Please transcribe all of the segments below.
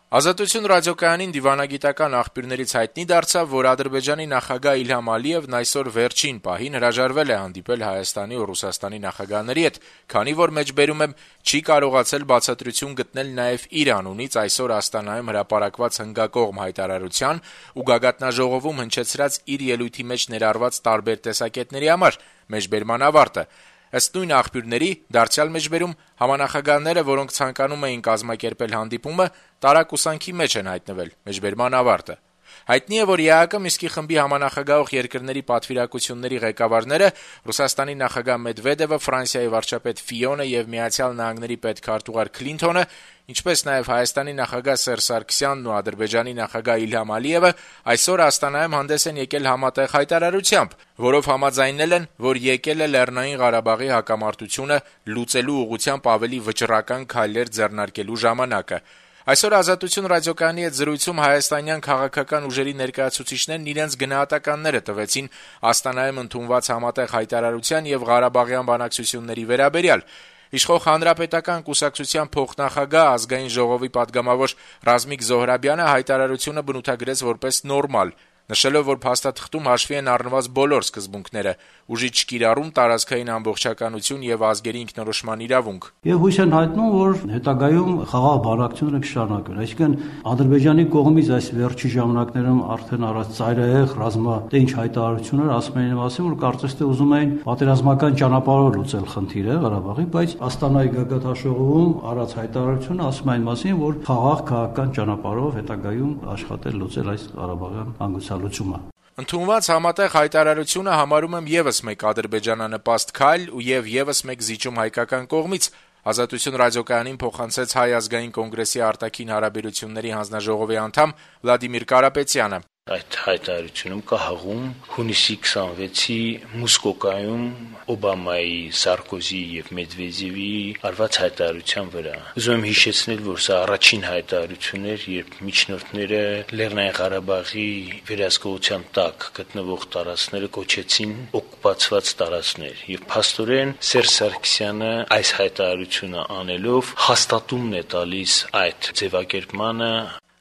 Ազատություն ռադիոկայանին դիվանագիտական աղբյուրներից հայտնի դարձավ, որ Ադրբեջանի նախագահ Իլհամ Ալիևն այսօր վերջին պահին հրաժարվել է հանդիպել Հայաստանի ու Ռուսաստանի նախագահների հետ, քանի որ մեջբերում եմ չի կարողացել բացատրություն գտնել նաև իր անունից այսօր Աստանայում հրապարակված հնգակողմ հայտարարության ու գագաթնաժողովում հնչեցրած իր ելույթի մեջ ներառված տարբեր տեսակետների համար, մեջբերման ավարտը։ Ըստ նույն աղբյուրների, դարձյալ մեջբերում համանախագահները, որոնք ցանկանում էին կազմակերպել հանդիպումը, տարակուսանքի մեջ են հայտնվել, մեջբերման ավարտը։ Հայտնի է, որ ԵԱՀԿ Մինսկի խմբի համանախագահող երկրների պատվիրակությունների ղեկավարները Ռուսաստանի նախագահ Մեդվեդևը, Ֆրանսիայի վարչապետ Ֆիոնը եւ Միացյալ Նահանգների պետքարտուղար Քլինթոնը, ինչպես նաեւ Հայաստանի նախագահ Սերժ Սարգսյանն ու Ադրբեջանի նախագահ Իլհամ Ալիևը այսօր Աստանայում հանդես են եկել համատեղ հայտարարությամբ, որով համաձայնել են, որ եկել է Լեռնային Ղարաբաղի հակամարտությունը լուծելու ուղղությամբ ավելի վճռական քայլեր ձեռնարկելու ժամանակը։ Այսօր Ազատություն ռադիոկայանի հետ զրույցում հայաստանյան քաղաքական ուժերի ներկայացուցիչներն իրենց գնահատականները տվեցին Աստանայում ընդունված համատեղ հայտարարության եւ Ղարաբաղյան բանակցությունների վերաբերյալ։ Իշխող Հանրապետական կուսակցության փոխնախագահ ազգային ժողովի պատգամավոր Ռազմիկ Զոհրաբյանը հայտարարությունը բնութագրեց որպես նորմալ, նշելով, որ փաստաթղթում հաշվի են առնված բոլոր սկզբունքները՝ ուժի չկիրառում, տարածքային ամբողջականություն եւ ազգերի ինքնորոշման իրավունք։ Եվ հույս են հայտնում, որ հետագայում խաղաղ բանակցությունները կշարունակվեն։ Այսինքն Ադրբեջանի կողմից այս վերջի ժամանակներում արդեն առած ծայրահեղ ռազմատենչ հայտարարություններ ասում էին մասին, որ կարծես թե ուզում էին պատերազմական ճանապարհով լուծել խնդիրը Ղարաբաղի, բայց Աստանայի գագաթնաժողովում առած հայտարարությունը ասում այն մասին, որ խաղաղ քաղաքական ճանապարհով հետագայում աշխատել լուծել այս Ղարաբաղյան հանգուցալուծումը։ Ընդունված համատեղ հայտարարությունը համարում եմ եւս մեկ ադրբեջանանպաստ քայլ ու եւս մեկ զիջում հայկական կողմից, Ազատություն ռադիոկայանին փոխանցեց Հայ ազգային կոնգրեսի արտաքին հարաբերությունների հանձնաժողովի անդամ Վլադիմիր Կարապետյանը։ Այդ հայտարարությունում կա հղում հունիսի 26-ի Մոսկվայում Օբամայի, Սարկոզի եւ Մեդվեդևի արված հայտարարության վրա։ Ուզում եմ հիշեցնել, որ սա առաջին հայտարարությունն էր, երբ միջնորդները Լեռնային Ղարաբաղի վերահսկողության տակ գտնվող տարածքները կոչեցին օկուպացված տարածքներ, եւ փաստորեն Սերժ Սարգսյանը այս հայտարարությունը անելով հաստատումն է տալիս այդ ձևակերպմանը։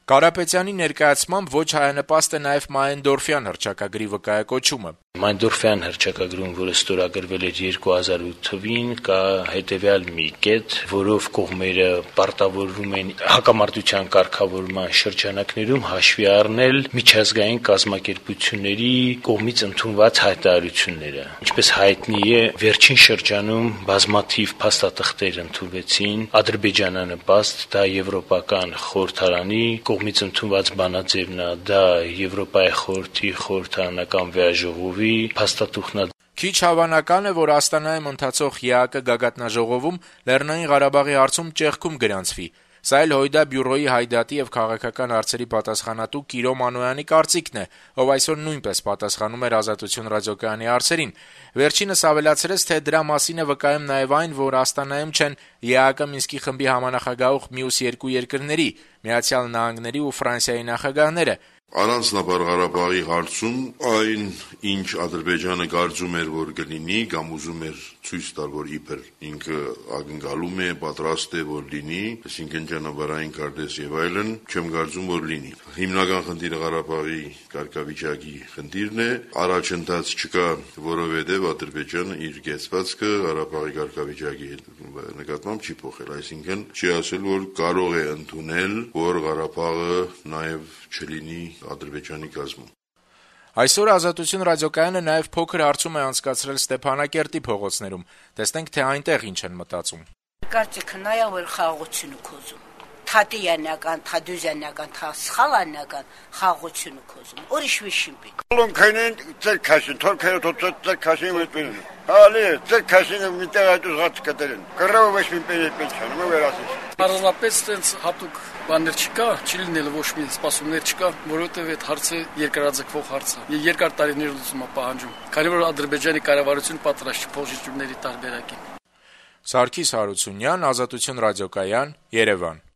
Կարապետյանի ներկայացմամբ ոչ հայանպաստ է նաև Մայնդորֆյան հռչակագրի վկայակոչումը։ Մայնդորֆյան հռչակագրում, որը ստորագրվել էր 2008 թվականին, կա հետևյալ մի կետ, որով կողմերը պարտավորվում են հակամարտության կարգավորման շրջանակներում հաշվի առնել միջազգային կազմակերպությունների կողմից ընդունված հայտարարությունները։ Ինչպես հայտնի է, վերջին շրջանում բազմաթիվ փաստաթղթեր ընդունվեցին ադրբեջանանպաստ, դա Եվրոպական խորհրդարանի կողմից ընդունված բանաձևն է, դա Եվրոպայի խորհրդի խորհրդարանական վեաժողովի փաստաթուղթն է։ Քիչ հավանական է, որ Աստանայում ընթացող ԵԱՀԿ գագաթնաժողովում Լեռնային Ղարաբաղի հարցում ճեղքում գրանցվի։ Սա էլ Հույդա բյուրոյի հայդատի եւ քաղաքական հարցերի պատասխանատու Կիրո Մանոյանի կարծիքն է, ով այսօր նույնպես պատասխանում էր Ազատություն ռադիոկայանի հարցերին։ Վերջինս ավելացրեց, թե դրա մասին է վկայում նաեւ այն, որ Աստանայում չեն ԵԱՀԿ Մինսկի խմբի համանախագահող մյուս երկու երկրների՝ Միացյալ Նահանգների ու Ֆրանսիայի նախագահները։ Առանձնաբար Ղարաբաղի հարցում այն, ինչ Ադրբեջանը կարծում էր, որ կլինի, կամ ուզում էր ցույց տալ, որ իբր ինքը ակնկալում է, պատրաստ է, որ լինի, այսինքն ճանապարհային քարտեզ եւ այլն, չեմ կարծում, որ լինի։ Հիմնական խնդիրը Ղարաբաղի կարգավիճակի խնդիրն է, առաջընթաց չկա, որովհետեւ Ադրբեջանը իր կեցվածքը Ղարաբաղի կարգավիճակի նկատմամբ չի փոխել, այսինքն չի ասել, որ կարող է ընդունել, որ Ղարաբաղը նաեւ չլինի Ադրբեջանի կազմում։ Այսօր Ազատություն ռադիոկայանը նաև փոքր հարցում է անցկացրել Ստեփանակերտի փողոցներում։ Տեսնենք, թե այնտեղ ինչ են մտածում։ Կարծիքը նա է, որ խաղաղությունը կոզում։ Թատյանական, թադյուզյանական, սխալանական խաղաղությունը կոզում։ Ուրիշ վիշին պի։ Լոնքային ցերքաշին, թորքերը ցերքաշին մտին։ Հալի, ցերքաշինը միտեղ այդ ուզած կդերեն։ Կռավը ոչ մի պենչան, մը վերասի։ Առանձնապես տենց հատուկ բաներ չկա, չի լինել ոչ մի սպասումներ չկա, որովհետև այդ հարցը երկարաձգվող հարց է։ Երկար տարիներ լուծում է պահանջում։ Քանի որ Ադրբեջանի կառավարությունը պատրաստ չի փոխժիջումների տարբերակին։ Սարգիս Հարությունյան, Ազատություն ռադիոկայան, Երևան։